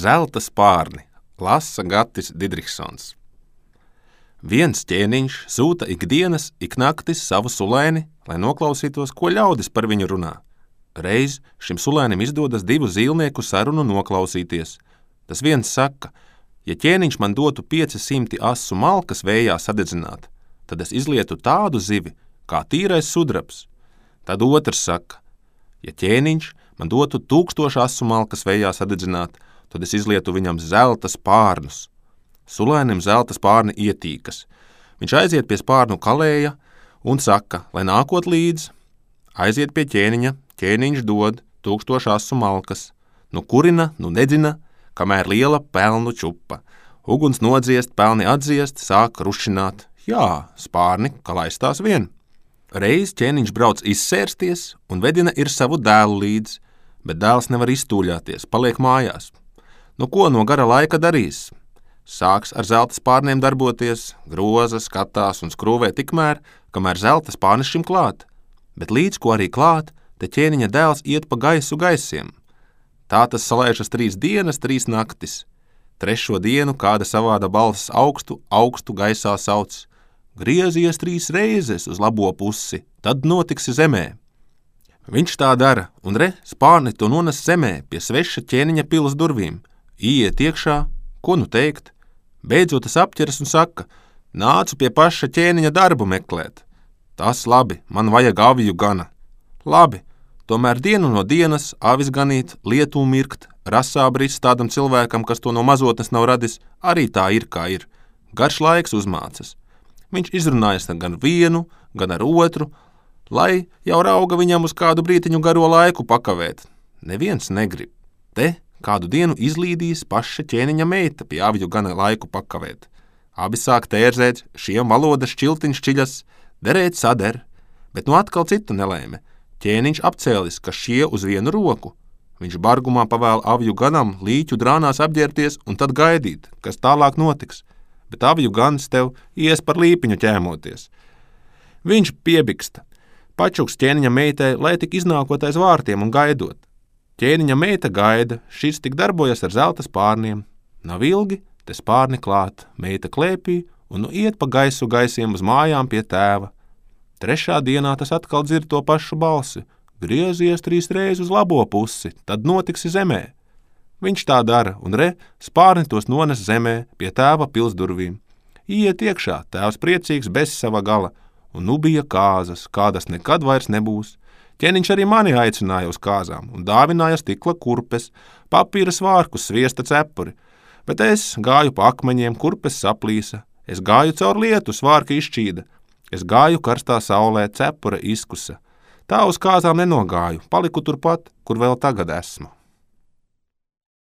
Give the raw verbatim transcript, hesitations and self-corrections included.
Zelta spārni, lasa Gatis Didriksons. Viens ķēniņš sūta ikdienas, iknaktis savu sulēni, lai noklausītos, ko ļaudis par viņu runā. Reiz šim sulēnim izdodas divu zīlnieku sarunu noklausīties. Tas viens saka, ja ķēniņš man dotu pieci simti asu malkas vējā sadedzināt, tad es izlietu tādu zivi, kā tīrais sudrabs. Tad otrs saka, ja ķēniņš man dotu tūkstošu asu malkas vējā sadedzināt, tad es izlietu viņam zelta spārnus. Sulēnim zelta spārni ietīkas. Viņš aiziet pie spārnu kalēja un saka, lai nākot līdz, aiziet pie ķēniņa, ķēniņš dod tūkstošu asu malkas. Nu kurina, nu nedzina, kamēr liela pelnu čupa. Uguns nodziest, pelni atdziest, sāk rušināt. Jā, spārni, ka laistās vien. Reiz ķēniņš brauc izsērsties un vedina ir savu dēlu līdz, bet dēls nevar iztūļāties, paliek mājās. Nu ko no gara laika darīs? Sāks ar zelta spārniem darboties, groza, skatās un skrūvē tikmēr, kamēr zelta spārnis šim klāt. Bet līdz ko arī klāt, te ķēniņa dēls iet pa gaisu gaisiem. Tā tas salēžas trīs dienas, trīs naktis. Trešo dienu kāda savāda balss augstu, augstu gaisā sauc. Griezies trīs reizes uz labo pusi, tad notiksi zemē. Viņš tā dara, un re, spārni to nones zemē pie sveša ķēniņa pilas durvīm. Iet iekšā, ko nu teikt? Beidzot tas apķeras un saka, nācu pie paša ķēniņa darbu meklēt. Tas labi, man vajag aviju gana. Labi, tomēr dienu no dienas avis ganīt, lietu mirkt, rasā brist tādam cilvēkam, kas to no mazotnes nav radis, arī tā ir, kā ir. Garš laiks uzmācas. Viņš izrunājas gan vienu, gan ar otru, lai jau rauga viņam uz kādu brītiņu garo laiku pakavēt. Neviens negrib. Te kādu dienu izlīdīs paša ķēniņa meita pie avju gana laiku pakavēt. Abi sāk tērzēt, šiem valodas šķiltiņš šķiļas, derēt sader, bet nu atkal citu nelēme. Ķēniņš apcēlis, ka šie uz vienu roku. Viņš bargumā pavēl avju ganam līķu drānās apģērties un tad gaidīt, kas tālāk notiks, bet avju gans tev ies par līpiņu ķēmoties. Viņš piebiksta, pačuks ķēniņa meitai, lai tik iznākot aiz vārtiem un gaidot. Ķēniņa meita gaida, šis tik darbojas ar zelta spārniem. Nav ilgi, te spārni klāt, meita klēpī un nu iet pa gaisu gaisiem uz mājām pie tēva. Trešā dienā tas atkal dzird to pašu balsi. Griezies trīs reizes uz labo pusi, tad notiksi zemē. Viņš tā dara, un re, spārni tos nones zemē pie tēva pilsdurvīm. Iet iekšā, tēvs priecīgs bez sava gala, un nu bija kāzas, kādas nekad vairs nebūs. Ķēniņš arī mani aicināja uz kāzām un dāvināja stikla kurpes, papīra svārkus, sviesta cepuri, bet es gāju pa akmeņiem, kurpes saplīsa, es gāju caur lietu, svārka izšķīda, es gāju karstā saulē, cepura izkusa. Tā uz kāzām nenogāju, paliku turpat, kur vēl tagad esmu.